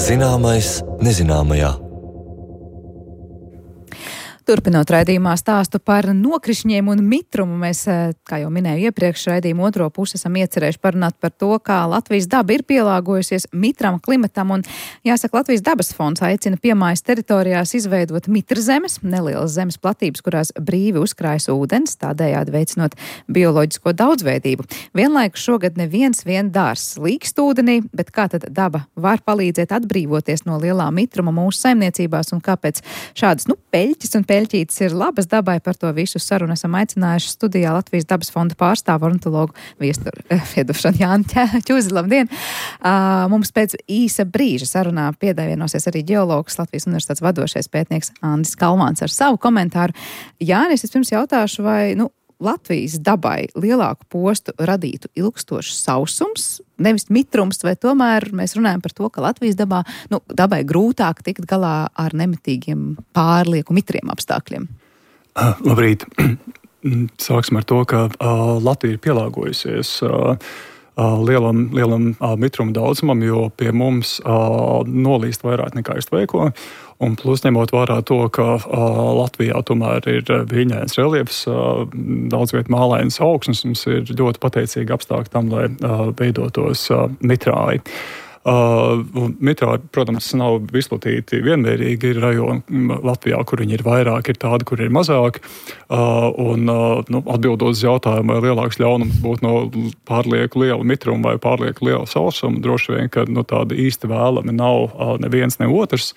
Zināmais nezināmajā. Turpinot raidījumā stāstu par nokrišņiem un mitrumu, mēs, kā jau minēju iepriekš, raidījumu otro pusi esam iecerējuši parunāt par to, kā Latvijas daba ir pielāgojusies mitram klimatam, un jāsaka, Latvijas dabas fonds aicina piemājas teritorijās izveidot mitrzemes, nelielas zemes platības, kurās brīvi uzkrājas ūdens, tādējādi veicinot bioloģisko daudzveidību. Vienlaikus šogad neviens vien dārs līkst ūdenī, bet kā tad daba var palīdzēt atbrīvoties no lielā mitruma mūsu saimniecībās, un kāpēc šādas, peļķis un peļķītes ir labas dabai? Par to visu sarunu esam aicinājuši studijā Latvijas dabas fonda pārstāvu ornitologu Jāni Čuzi. Labdien! Mums pēc īsa brīža sarunā pievienosies arī ģeologs, Latvijas universitātes vadošais pētnieks Andris Kalmāns ar savu komentāru. Jānis, es pirms jautāšu, vai Latvijas dabai lielāku postu radītu ilgstošs sausums, nevis mitrums, vai tomēr mēs runājam par to, ka Latvijas dabai grūtāk tikt galā ar nemitīgiem pārlieku mitriem apstākļiem? Labrīt! Sāksim ar to, ka Latvija ir pielāgojusies lielam mitruma daudzumam, jo pie mums nolīst vairāk nekā iztveiko. Un plus ņemot vērā to, ka Latvijā tomēr ir viļņains reliefs, daudz viet mālainas augsnes, mums ir ļoti pateicīgi apstākļi tam, lai veidotos mitrāji. Mitrāji, protams, nav izplatīti vienmērīgi. Ir rajoni Latvijā, kur viņi ir vairāk, ir tādi, kur ir mazāk. Atbildot uz jautājumu, vai lielāks ļaunums būtu no pārlieku liela mitruma vai pārlieku liela sausuma, droši vien, ka tāda īsti vēlami nav neviens, ne otrs.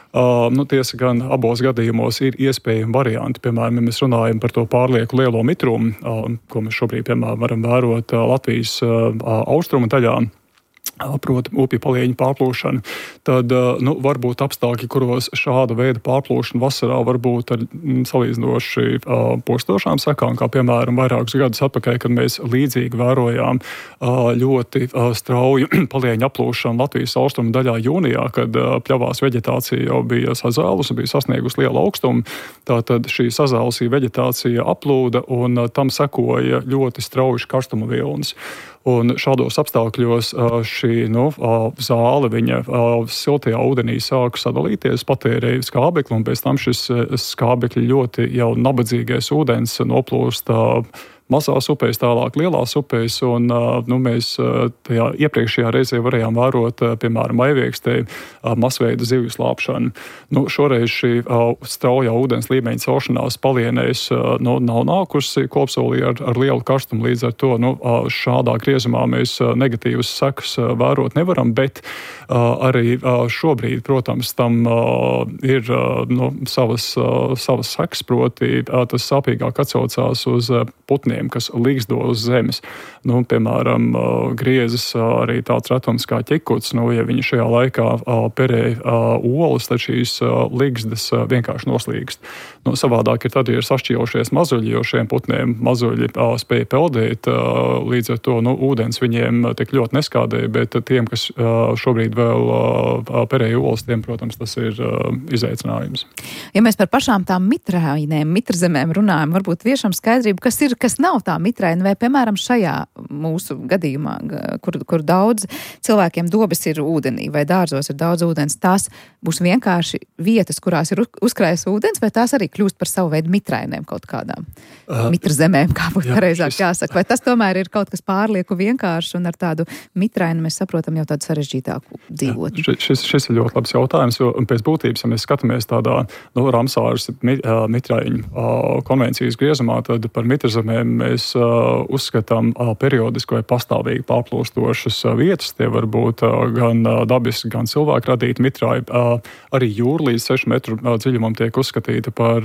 Tiesa gan abos gadījumos ir iespējami varianti. Piemēram, ja mēs runājam par to pārlieku lielo mitrumu, ko mēs šobrīd, piemēram, varam vērot Latvijas austrumu daļā, proti upju palieņu pārplūšana, tad var būt apstākļi, kuros šāda veida pārplūšana vasarā var būt ar salīdzinoši postošām sekām, kā piemēram vairākus gadus atpakaļ, kad mēs līdzīgi vērojām ļoti strauju palieņu aplūšanu Latvijas austrumu daļā jūnijā, kad pļavās veģetācija jau bija sazālusi, bija sasniegusi lielu augstumu. Tātad šī sazālusī veģetācija aplūda un tam sekoja ļoti strauji karstuma vilnis. Un šādos apstākļos šī zāle, viņa siltajā ūdenī sāk sadalīties, patērēja skābekli, un pēc tam šis skābekļi ļoti jau nabadzīgais ūdens noplūst mazās upēs, tālāk lielās upēs, un mēs tajā iepriekšējā reizē varējām vērot, piemēram, aiviekstē masveida zivju slāpšanu. Šoreiz šī straujā ūdens līmeņa celšanās palienēs nav nākusi kopsolī ar lielu karstumu, līdz ar to šādā griezumā mēs negatīvas sekas vērot nevaram, bet arī šobrīd, protams, tam ir savas sekas, proti tas sāpīgāk atsaucās uz putniem, kas līgzdo uz zemes. Piemēram, griezes arī tāds retums kā ķekuts, ja viņi šajā laikā perē olas, tad šīs līgzdas vienkārši noslīgst. Savādāk ir tad, ja ir sašķīlušies mazuļi, jo šiem putniem mazuļi spēja peldēt, līdz ar to ūdens viņiem tik ļoti neskādēja, bet tiem, kas šobrīd vēl perēja olas, tiem, protams, tas ir izaicinājums. Ja mēs par pašām tām mitrainēm, mitrzemēm runājam, varbūt viešam skaidrību, kas ir, kas nav tā mitraina, vai, piemēram, šajā mūsu gadījumā, kur daudz cilvēkiem dobes ir ūdenī, vai dārzos ir daudz ūdens, tās būs vienkārši vietas, kurās ir uzkrājas ūdens, vai tās arī kļūst par savu veidu mitrainēm kaut kādām mitrzemēm, kā būtu pareizāk jāsaka, vai tas tomēr ir kaut kas pārlieku vienkārši, un ar tādu mitrainu mēs saprotam jau tādu sarežģītāku dzīvotni? Šis ir ļoti labs jautājums, jo pēc būtības, ja mēs skatāmies tādā Ramsāras mitraiņu konvencijas griezumā, tad par mitrzemēm mēs uzskatām periodiski vai pastāvīgi pārplūstošas vietas. Tie var būt gan dabiski, gan cilvēku radīti mitrāji. Arī jūra līdz 6 metru dziļumam tiek uzskatīta par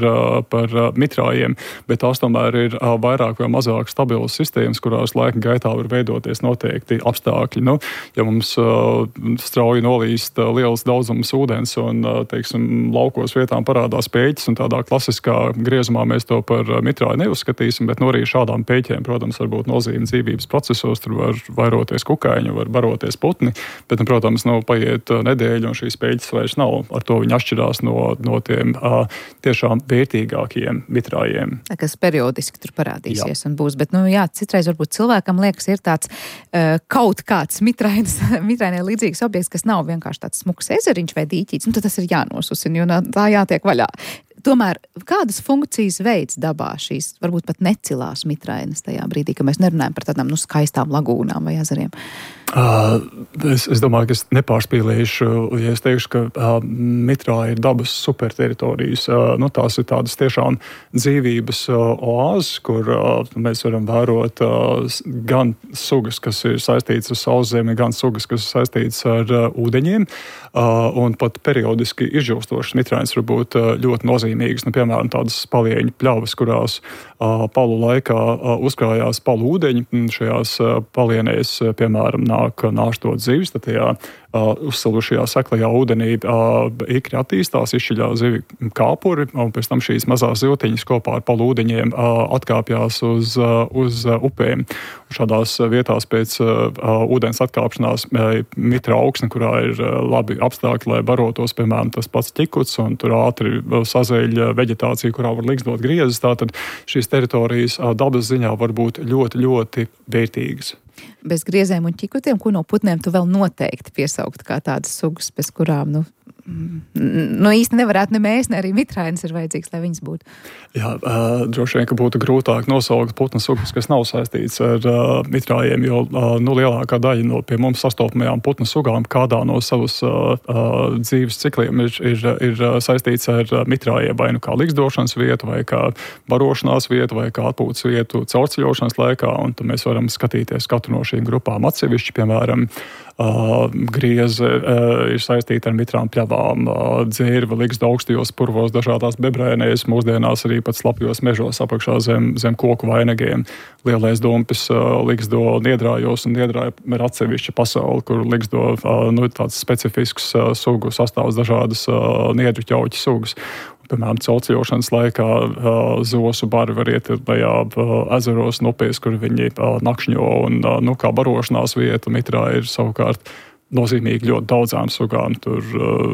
mitrājiem, bet tās tomēr ir vairāk vai mazāk stabilas sistēmas, kurās laika gaitā var veidoties noteikti apstākļi. Ja mums strauji nolīst liels daudzums ūdens un, laukos vietām parādās pēķis, un tādā klasiskā griezumā mēs to par mitrāju neuzskatīsim, bet arī šādām peļķēm, protams, var būt nozīme dzīvības procesos, tur var vairoties kukaiņi, var baroties putni, bet, protams, paiet nedēļa un šīs peļķes vairs nav. Ar to viņi atšķirās no tiem tiešām vērtīgākiem mitrājiem. Kas periodiski tur parādīsies un būs, bet, citreiz varbūt cilvēkam liekas, ir tāds kaut kāds mitrainē līdzīgs objekts, kas nav vienkārši tāds smuks ezeriņš vai dīķīts, tad tas ir jānosusina, jo tā jātiek vaļā. Tomēr kādas funkcijas veids dabā šīs, varbūt pat necilās mitrainas tajā brīdī, ka mēs nerunājam par tādām skaistām lagūnām vai ezeriem? Es domāju, ka es nepārspīlēšu, ja es teikšu, ka mitrā ir dabas superteritorijas. Tās ir tādas tiešām dzīvības oāzes, kur mēs varam vērot gan sugas, kas ir saistītas ar sauszemi, gan sugas, kas ir saistītas ar ūdeņiem, un pat periodiski izžūstošas mitrainas var būt ļoti nozīmīgas. Piemēram, tādas palieņu pļavas, kurās palu laikā uzkrājās palu ūdeņi. Šajās palienēs, piemēram, nāk nāštot zivis, tad tajā uzsalušajā seklajā ūdenī ikri attīstās, izšķiļā zivi kāpuri, un pēc tam šīs mazās zivtiņas kopā ar palu ūdeņiem atkāpjās uz upēm. Un šādās vietās pēc ūdens atkāpšanās mitra augsne, kurā ir labi apstākļi, lai barotos, piemēram, tas pats ķikuts, un tur ātri sazeļ veģetācija, kurā var liksdot griezes. Tātad šīs teritorijas dabas ziņā var būt ļoti, ļoti vērtīgas. Bez griezēm un ķikutiem, ko no putniem tu vēl noteikti piesaukt kā tādas sugas, bez kurām, īsti nevarētu ne mēs, ne arī mitrainas ir vajadzīgs, lai viņas būtu. Jā, droši vien, ka būtu grūtāk nosaukt putnu sugas, kas nav saistīts ar mitrājiem, jo lielākā daļa no pie mums sastopamajām putnu sugām kādā no savas dzīves cikliem ir saistīts ar mitrājiem, vai kā liksdošanas vietu, vai kā barošanās vietu, vai kā atpūtas vietu caurceļošanas laikā, un tad mēs varam skatīties katru no šīm grupām atsevišķi, piemēram, grieze ir saistīta ar mitrām pļavām, dzērve liksda augstajos purvos, dažādās bebrēnēs, mūsdienās arī pat slapjos mežos apakšā zem koku vainagiem. Lielais dumpis liksdo niedrājos, un niedrāja ir atsevišķa pasauli, kur liksdo tāds specifisks sugu sastāvs, dažādas niedru ķauķu sugas. Piemēram, caurceļošanas laikā zosu bari var iet tajā ezeros un upēs, kur viņi nakšņo, un kā barošanās vieta mitrā ir savukārt nozīmīgi ļoti daudzām sugām. Tur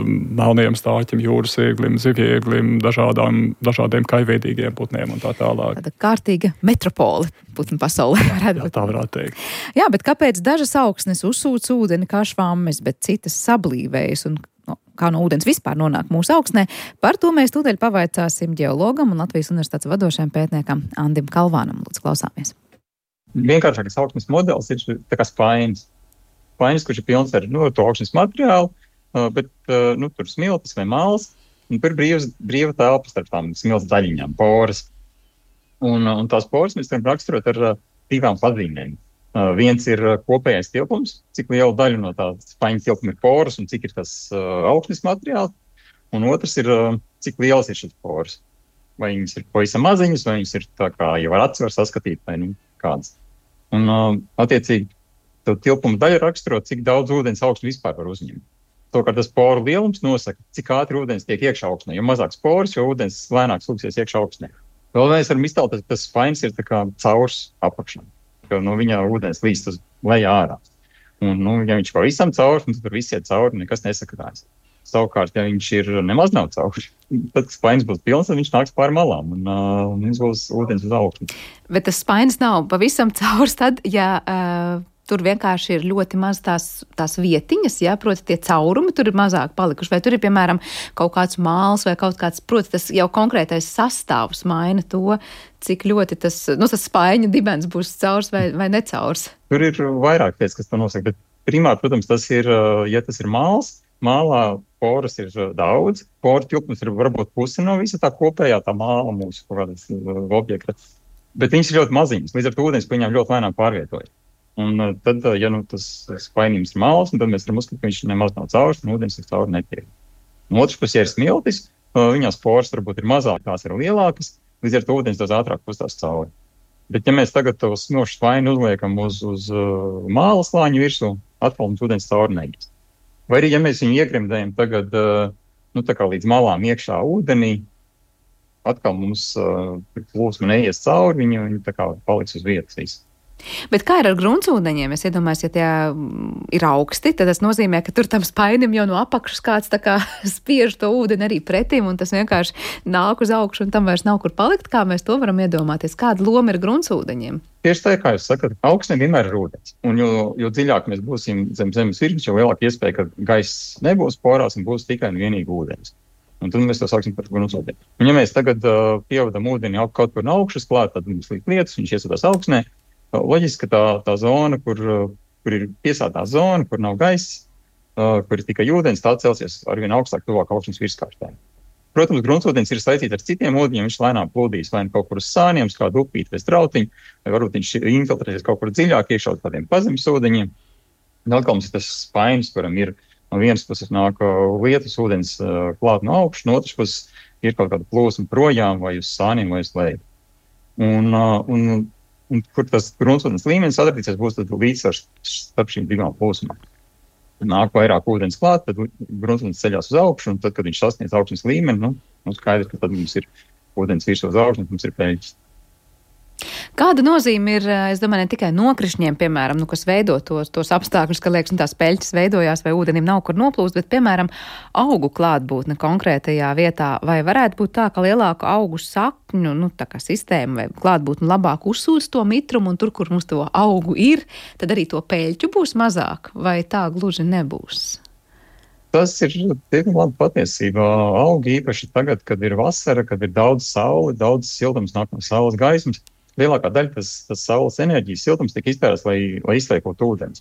melniem stāķim, jūras ieglim, zivjēglim, dažādiem kaiveidīgiem putniem un tā tālāk. Tāda kārtīga metropole putnu pasaulē varētu būt. Jā, tā varētu teikt. Jā, bet kāpēc dažas augsnes uzsūc ūdeni kā švammes, bet citas sablīvējas un kā no ūdens vispār nonāk mūsu augsnē? Par to mēs tūdaļ pavaicāsim ģeologam un Latvijas universitātes vadošajam pētniekam Andim Kalvānam. Lūdzu, klausāmies. Vienkāršākais augsnes modelis ir tā kā spainis. Spainis, kurš ir pilns ar to augsnes materiālu, bet tur smiltis vai māls, un tur brīva telpa starp tām smilts daļiņām, poras. Un tās poras mēs varam raksturot ar divām pazīmēm. Viens ir kopējais tilpums, cik liela daļa no tā spaiņa tilpuma ir poras un cik ir tas augsnes materiāls. Un otrs ir, cik lielas ir šis poras. Vai viņas ir pavisam maziņas, vai viņas ir tā kā jau ar aci var saskatīt, vai kādas. Un attiecīgi, tilpuma daļa raksturo, cik daudz ūdens augsne vispār var uzņemt. Savukārt tas poru lielums nosaka, cik ātri ūdens tiek iekšā augsnē. Jo mazāks poras, jo ūdens lēnāk slūgsies iekšā augsnē. Vēl mēs varam iztēlot, ka tas spainis ir tā kā caurs apakšā. Jo no viņa ūdens līst uz lejā ārā. Un, ja viņš pavisam caurs, tad tur viss iet cauri, nekas nesakatās. Savukārt, ja viņš ir nemaz nav caurs, tad spainis būs pilns, tad viņš nāks pāri malām un viņš būs ūdens uz augšu. Bet tas spainis nav pavisam caurs tad, ja tur vienkārši ir ļoti maz tās vietiņas, ja, proti tie caurumi tur ir mazāk palikuši, vai tur ir, piemēram, kaut kāds māls vai kaut kāds, proti tas jau konkrētais sastāvs maina to, cik ļoti tas spaiņa dibens būs caurs vai necaurs. Tur ir vairāk lietas, kas to nosaka, bet primāri, protams, tas ir, ja tas ir māls, mālā poras ir daudz, poru tilpums ir varbūt pusi no visa tā kopējā tā māla mūsu objekta, bet viņas ir ļoti maziņas, līdz ar to ūdens viņām ļoti lēnām pārvietoja. Un tad, ja tas spainījums ir māls, tad mēs varam uzskatīt, ka viņš nemaz nav caurs, un ūdens ir cauri netiek. No otras puses, ja ir smiltis, viņās poras varbūt ir mazāk, tās ir lielākas, līdz ar to ūdens daudz ātrāk pustās cauri. Bet ja mēs tagad to snošu spaini uzliekam uz māla slāņu virsū, atkal mums ūdens cauri neies. Vai arī, ja mēs viņu iegremdējam tagad, tā kā līdz malām iekšā ūdenī, atkal mums plūsma neies cauri, viņi tā kā paliks uz vietas visi. Bet kā ir ar gruntsūdeņiem? Es iedomājos, ja tie ir augsti, tad tas nozīmē, ka tur tam spainim jau no apakšas kāds tā kā spiež to ūdeni arī pretim, un tas vienkārši nāk uz augšu, un tam vairs nav kur palikt. Kā mēs to varam iedomāties? Kāda loma ir gruntsūdeņiem? Tieši tā, kā jūs sakat, augstnē vienmēr ir ūdens. Un jo dziļāk mēs būsim zem zemes virsmas, jo lielāka iespēja, ka gaiss nebūs porās un būs tikai un vienīgi ūdens. Un tad mēs to sauksim par gruntsūdeni. Un ja mēs tagad pievadam ūdeni kaut kur no augšas klāt, tad mums liek lietus, viņš iesūtās augstnē. Loģiski, ka tā zona, kur ir piesātā zona, kur nav gaiss, kur ir tikai ūdens, tā celsies arvien augstāk tuvāk augstnes virskārtām. Protams, gruntsūdens ir saistīts ar citiem ūdeņiem, viņš lēnām plūdīs vai kaut kur uz sāniem, uz kādu upīti vai strautiņu, vai varbūt viņš infiltrēsies kaut kur dziļāk iekšā uz tādiem pazemes ūdeņiem. Atkal mums ir tas spainis, kuram ir no vienas puses nāk lietus ūdens klāt no augšas, no otras puses ir kaut kāda plūsma projām vai uz sāniem vai uz leju. Un kur tas gruntsūdens līmenis atradīsies, būs tad līdzsvars starp šīm divām plūsmām. Nāk vairāk ūdens klāt, tad gruntsūdens ceļās uz augšu, un tad, kad viņš sasniedz augstnes līmeni, skaidrs, ka tad mums ir ūdens virs uz augšnes, mums ir peļķis. Kāda nozīme ir, es domāju, ne tikai nokrišņiem, piemēram, kas veido tos apstākļus, ka liekas, tās peļķes veidojās vai ūdenim nav kur noplūst, bet, piemēram, augu klātbūtne konkrētajā vietā, vai varētu būt tā, ka lielāku augu sakņu, tā kā sistēma vai klātbūtne labāk uzsūs to mitrumu, un tur, kur mums to augu ir, tad arī to peļķu būs mazāk, vai tā gluži nebūs? Tas ir diezgan labi patiesībā. Augi īpaši tagad, kad ir vasara, kad ir daudz saule, daudz siltums nāk no saules gaismas, lielākā daļa tas saules enerģijas siltums tika iztērēts, lai izliekot ūdens.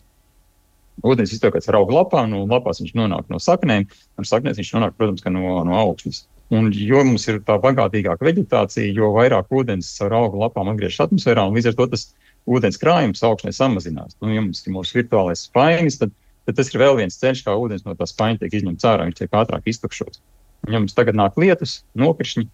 Ūdens izliekot ar augu lapām, no lapās viņš nonāk no saknēm, un saknēs viņš nonāk, protams, ka no augšas. Un jo mums ir tā bagātīgāka veģetācija, jo vairāk ūdens ar augu lapām atgriežas atmosfērā, un līdz ar to tas ūdens krājums augšnē samazinās. Ja mums ir mūsu virtuālais spainis, tad tas ir vēl viens ceļš, kā ūdens no tā spaiņa tiek izņemts ārā, viņš tiek ātrāk iztukšots. Un ja mums tagad nāk lietus, nokrišņi,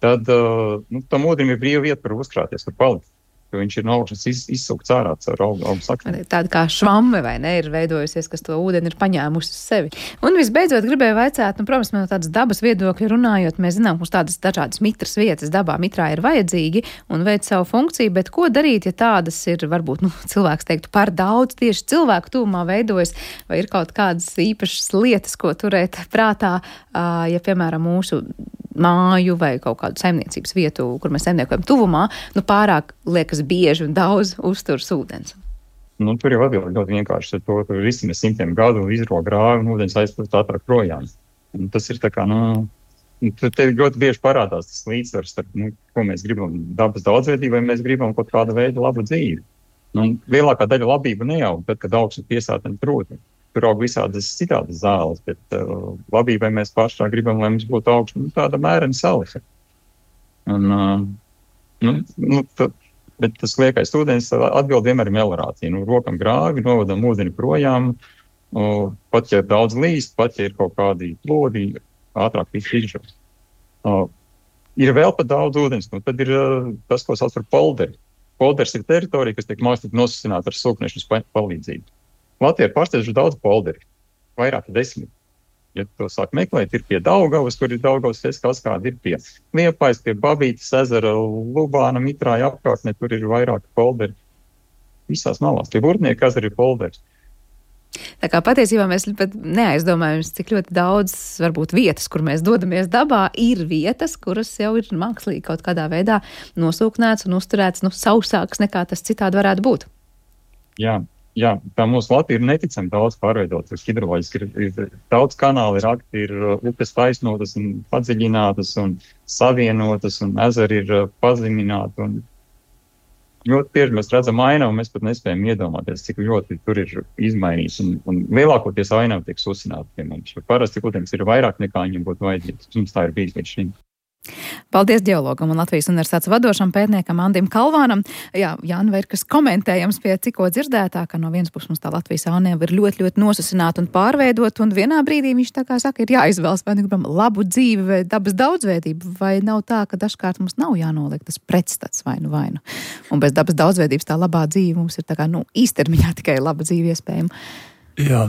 tad tam ūdenim ir brīva vieta, kur uzkrāties, kur palikt. Jo viņš ir no augšas izsūkts ārā caur augu saknēm. Tāda kā švamme, vai ne, ir veidojusies, kas to ūdeni ir paņēmusi uz sevi. Un visbeidzot gribēju vaicāt, protams, no tādas dabas viedokļa runājot, mēs zinām, ka tādas dažādas mitras vietas dabā mitrā ir vajadzīgi un veic savu funkciju, bet ko darīt, ja tādas ir, varbūt, cilvēks teiktu, par daudz tieši cilvēku tūmā veidojas, vai ir kaut kādas īpašas lietas, ko turēt prātā, ja, piemēram, mūsu māju vai kaut kādu saimniecības vietu, kur mēs saimniekojam tuvumā, pārāk liekas bieži un daudz uzturs ūdens. Tur jau atbildi ļoti vienkārši. Tur risina simtiem gadu, izro grāvi un ūdens aizplūst ātrāk projām. Un tas ir tā kā, te ļoti bieži parādās tas līdzsvars starp, ko mēs gribam dabas daudzveidību, vai mēs gribam kaut kādu veidu labu dzīvi. Lielākā daļa labība neaug, tad, kad augsne piesātne proti. Tur aug visādas citādas zāles, bet labībai mēs pašā gribam, lai mums būtu augšana tāda mērena salisa. Bet tas liekais ūdens atbild vienmēr melorācija. Rokam grāvi, novadam ūdeni projām, pat ja daudz līst, pat ja ir kaut kādi plodi, ātrāk viss izžos. Ir vēl pat daudz ūdens, tad ir tas, ko sauc par polderi. Polders ir teritorija, kas tiek mākslīgi nosacināta ar sūkņešanu palīdzību. Latvijā ir pārsteidzoši daudz polderi, vairāk 10. Ja to sāk meklēt, ir pie Daugavas, kur ir Daugavas kaskādi, ir pie Liepājas, pie Babītas ezera, Lubāna, Mitrāja apkārtnē, tur ir vairāk polderi. Visās malās, pie Burtnieka ezera ir polderi. Tā kā patiesībā mēs pat neaizdomājamies, cik ļoti daudz, varbūt, vietas, kur mēs dodamies dabā, ir vietas, kuras jau ir mākslīgi kaut kādā veidā nosūknēts un uzturēts, sausāks nekā tas citādi varētu būt. Jā, tā mūsu Latvija ir neticami daudz pārveidotas hidroloģiski. Ir daudz kanāli rakti, ir upes taisnotas un padziļinātas un savienotas, un ezeri ir pazemināti. Un ļoti bieži mēs redzam ainavu, un mēs pat nespējam iedomāties, cik ļoti tur ir izmainīts. Un lielākoties ainava tiek susināta pie mums. Parasti ūdens ir vairāk nekā viņam būtu vajadzīgs. Mums tā ir bijis līdz šim. Paldies ģeologam un Latvijas universitātes vadošam pētniekam Andim Kalvānam. Jā, Jāni, vai ir kas komentējams pie cikko dzirdētā, ka no vienas puses mums tā Latvijas ainava ir ļoti, ļoti nosusināta un pārveidot, un vienā brīdī viņš tā kā saka, ir jāizvēlas, vai gribam labu dzīvi vai dabas daudzveidību, vai nav tā, ka dažkārt mums nav jānoliek tas pretstats vainu. Un bez dabas daudzveidības tā labā dzīve mums ir tā kā, īstermiņā tikai laba dzīve iespējama. Jā,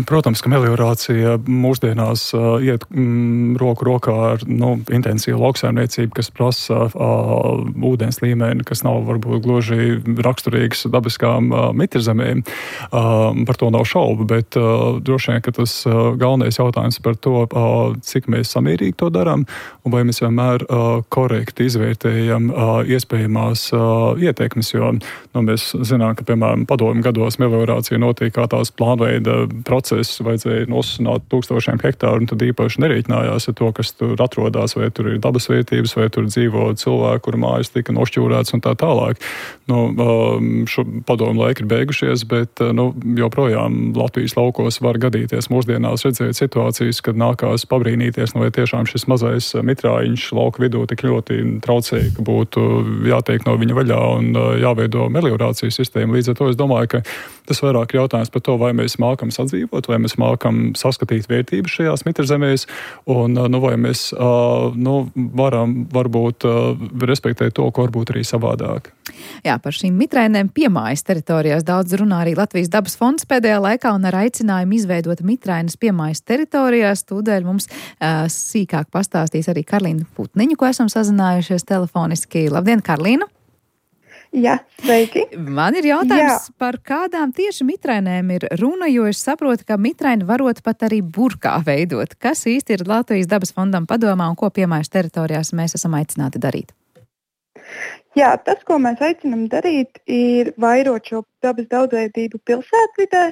protams, ka meliorācija mūsdienās iet roku rokā ar intensīvu lauksaimniecību, kas prasa ūdens līmeni, kas nav varbūt gluži raksturīgs dabiskām mitrzemēm. Par to nav šaubu, bet droši vien, ka tas galvenais jautājums par to, cik mēs samērīgi to darām, un vai mēs vienmēr korekti izvērtējam iespējamās ietekmes, jo mēs zinām, ka, piemēram, padomju gados meliorācija notiek kā tās plānveida process, vajadzēja nosusināt 1000 hektāru, un tad īpaši nerēķinājās ar to, kas tur atrodas, vai tur ir dabas vērtības, vai tur dzīvo cilvēki, kuru mājas tika nošķūrēts un tā tālāk. Šo padomu laiki ir beigušies, bet joprojām Latvijas laukos var gadīties mūsdienās redzēt situācijas, kad nākās pabrīnīties, vai tiešām šis mazais mitrājiņš lauka vidū tik ļoti traucēja, ka būtu jātiek no viņa vaļā un jāveido meliorācijas sistēma. Līdz ar to es domāju, ka tas vairāk jautājums par to, vai mēs mākam sadzīvot, vai mēs mākam saskatīt vērtības šajās mitrzemēs, un vai mēs varam varbūt respektēt to, ko varbūt arī savādāk. Jā, par šīm mitrainēm piemājas teritorijās daudz runā arī Latvijas dabas fonds pēdējā laikā, un ar aicinājumu izveidot mitrainas piemājas teritorijās. Tūdēļ mums sīkāk pastāstīs arī Karlīna Putniņa, ko esam sazinājušies telefoniski. Labdien, Karlīna! Jā, sveiki. Man ir jautājums, par kādām tieši mitrainēm ir runa, jo es saprotu, ka mitraini varot pat arī burkā veidot. Kas īsti ir Latvijas dabas fondam padomā un ko piemājas teritorijās mēs esam aicināti darīt? Jā, tas, ko mēs aicinām darīt, ir vairot šo dabas daudzveidību pilsētvidē.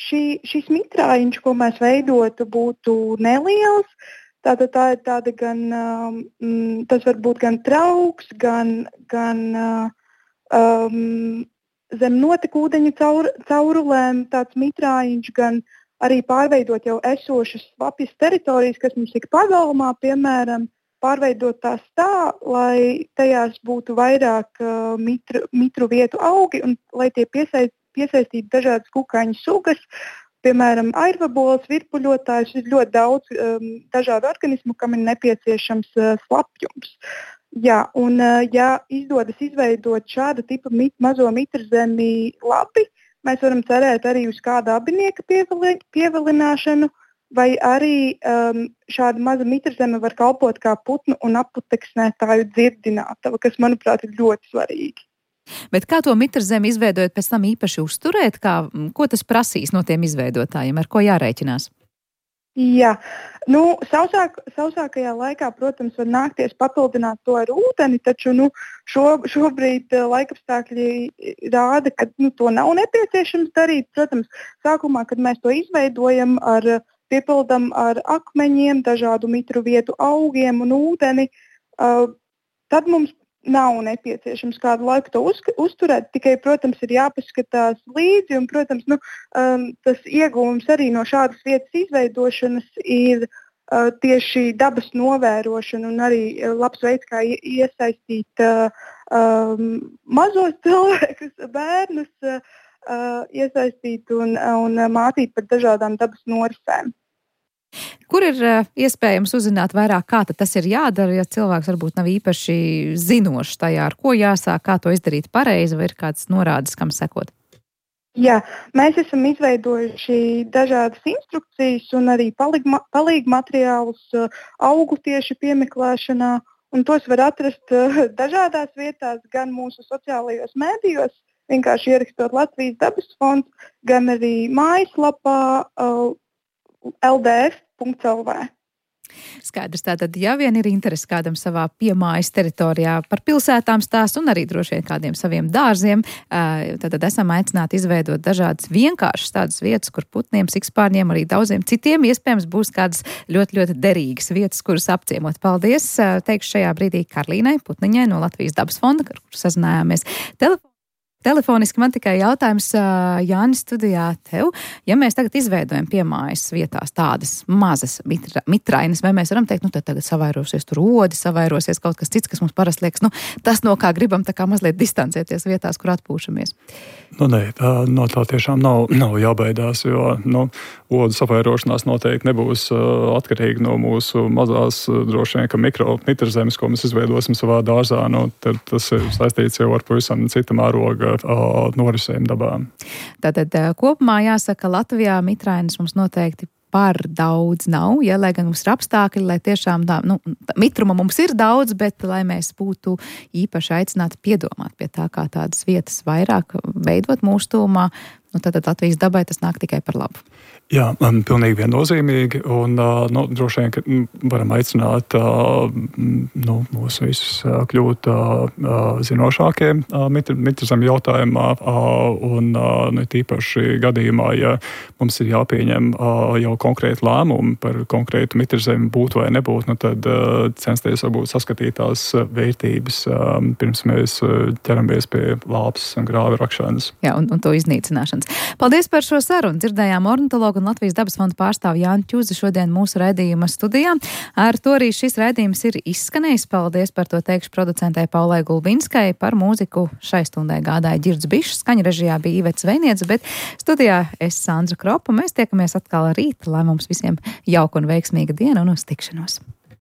Šis mitrājiņš, ko mēs veidotu, būtu neliels. Tātad tā ir tāda tas var būt gan trauks, gan zem notekūdeņu caurulēm tāds mitrājiņš, gan arī pārveidot jau esošas slapjas teritorijas, kas mums ir pagalmā, piemēram, pārveidot tās tā, lai tajās būtu vairāk mitru vietu augi un lai tie piesaistītu dažādas kukaiņu sugas. Piemēram, airvaboles, virpuļotājs, ir ļoti daudz dažādu organismu, kam ir nepieciešams slapjums. Jā, un ja izdodas izveidot šāda tipa mazo mitrzemi labi, mēs varam cerēt arī uz kāda abinieka pievilināšanu, vai arī šāda maza mitrzeme var kalpot kā putnu un aputeksnētāju dzirdinātava, kas, manuprāt, ir ļoti svarīgi. Bet kā to mitrzemi izveidojot, pēc tam īpaši uzturēt? Ko tas prasīs no tiem izveidotājiem? Ar ko jārēķinās? Jā, sausākajā laikā, protams, var nākties papildināt to ar ūdeni, taču šobrīd laikapstākļi rāda, ka to nav nepieciešams darīt. Protams, sākumā, kad mēs to izveidojam, piepildam ar akmeņiem, dažādu mitru vietu augiem un ūdeni, tad mums nav nepieciešams kādu laiku to uzturēt, tikai, protams, ir jāpaskatās līdzi, un, protams, tas ieguvums arī no šādas vietas izveidošanas ir tieši dabas novērošana un arī labs veids, kā iesaistīt mazos cilvēkus, bērnus, iesaistīt un mācīt par dažādām dabas norisēm. Kur ir iespējams uzzināt vairāk, kā tas ir jādara, ja cilvēks varbūt nav īpaši zinošs tajā, ar ko jāsāk, kā to izdarīt pareizi, vai ir kāds norādes, kam sekot? Jā, mēs esam izveidojuši dažādas instrukcijas un arī palīgu materiālus augu tieši piemeklēšanā, un tos var atrast dažādās vietās, gan mūsu sociālajos mēdījos, vienkārši ierakstot Latvijas dabas fonds, gan arī mājaslapā ldf.lv. Skaidrs, tātad, ja vien ir interesi kādam savā piemājas teritorijā par pilsētām stāst un arī droši vien kādiem saviem dārziem, tad esam aicināti izveidot dažādas vienkāršas tādas vietas, kur putniem, sikspārņiem, arī daudziem citiem iespējams būs kādas ļoti, ļoti derīgas vietas, kuras apciemot. Paldies, teikšu šajā brīdī Karlīnai Putniņai no Latvijas dabas fonda, kur sazinājāmies telefoniski. Man tikai jautājums, Jānis, studijā tev. Ja mēs tagad izveidojam piemājas vietās tādas mazas mitrainas, vai mēs varam teikt, tad tagad savairosies tur odi, savairosies kaut kas cits, kas mums parasti liekas, tas, no kā gribam tā kā mazliet distancēties vietās, kur atpūšamies? Nē, no tā tiešām nav jābaidās, jo odu savairošanās noteikti nebūs atkarīga no mūsu mazās, droši vien, ka mikromitrezemes, ko mēs izveidosim savā dārzā. Tad tas ir saistīts jau ar pavisam cita mēroga norisēm dabā. Tātad kopumā jāsaka, Latvijā mitrainas mums noteikti par daudz nav, ja, lai gan mums ir apstākļi, lai tiešām tā, mitruma mums ir daudz, bet lai mēs būtu īpaši aicināti piedomāt pie tā, kā tādas vietas vairāk veidot mūsu tūmā, tad Latvijas dabai tas nāk tikai par labu. Jā, pilnīgi viennozīmīgi, un droši vien, ka varam aicināt mūs visus kļūt zinošākiem mitruzem jautājumā, un tīpaši gadījumā, ja mums ir jāpieņem jau konkrēti lēmumi par konkrētu mitruzemi būt vai nebūt, tad censties varbūt saskatīt tās vērtības, pirms mēs ķeramies pie lāpes un grāvi rakšanas. Jā, un to iznīcināšanas. Paldies par šo sarunu. Dzirdējām ornitologu un Latvijas dabas fonda pārstāvu Jāni Čuzi šodien mūsu raidījuma studijā. Ar to arī šis raidījums ir izskanējis. Paldies par to teikšu producentei Paulai Gulbinskai. Par mūziku šai stundai gādāja Ģirds Bišs, skaņa režijā bija Ivets Zvejniece, bet studijā es Sandra Kropa. Mēs tiekamies atkal rīt, lai mums visiem jauka un veiksmīga diena un uz tikšanos.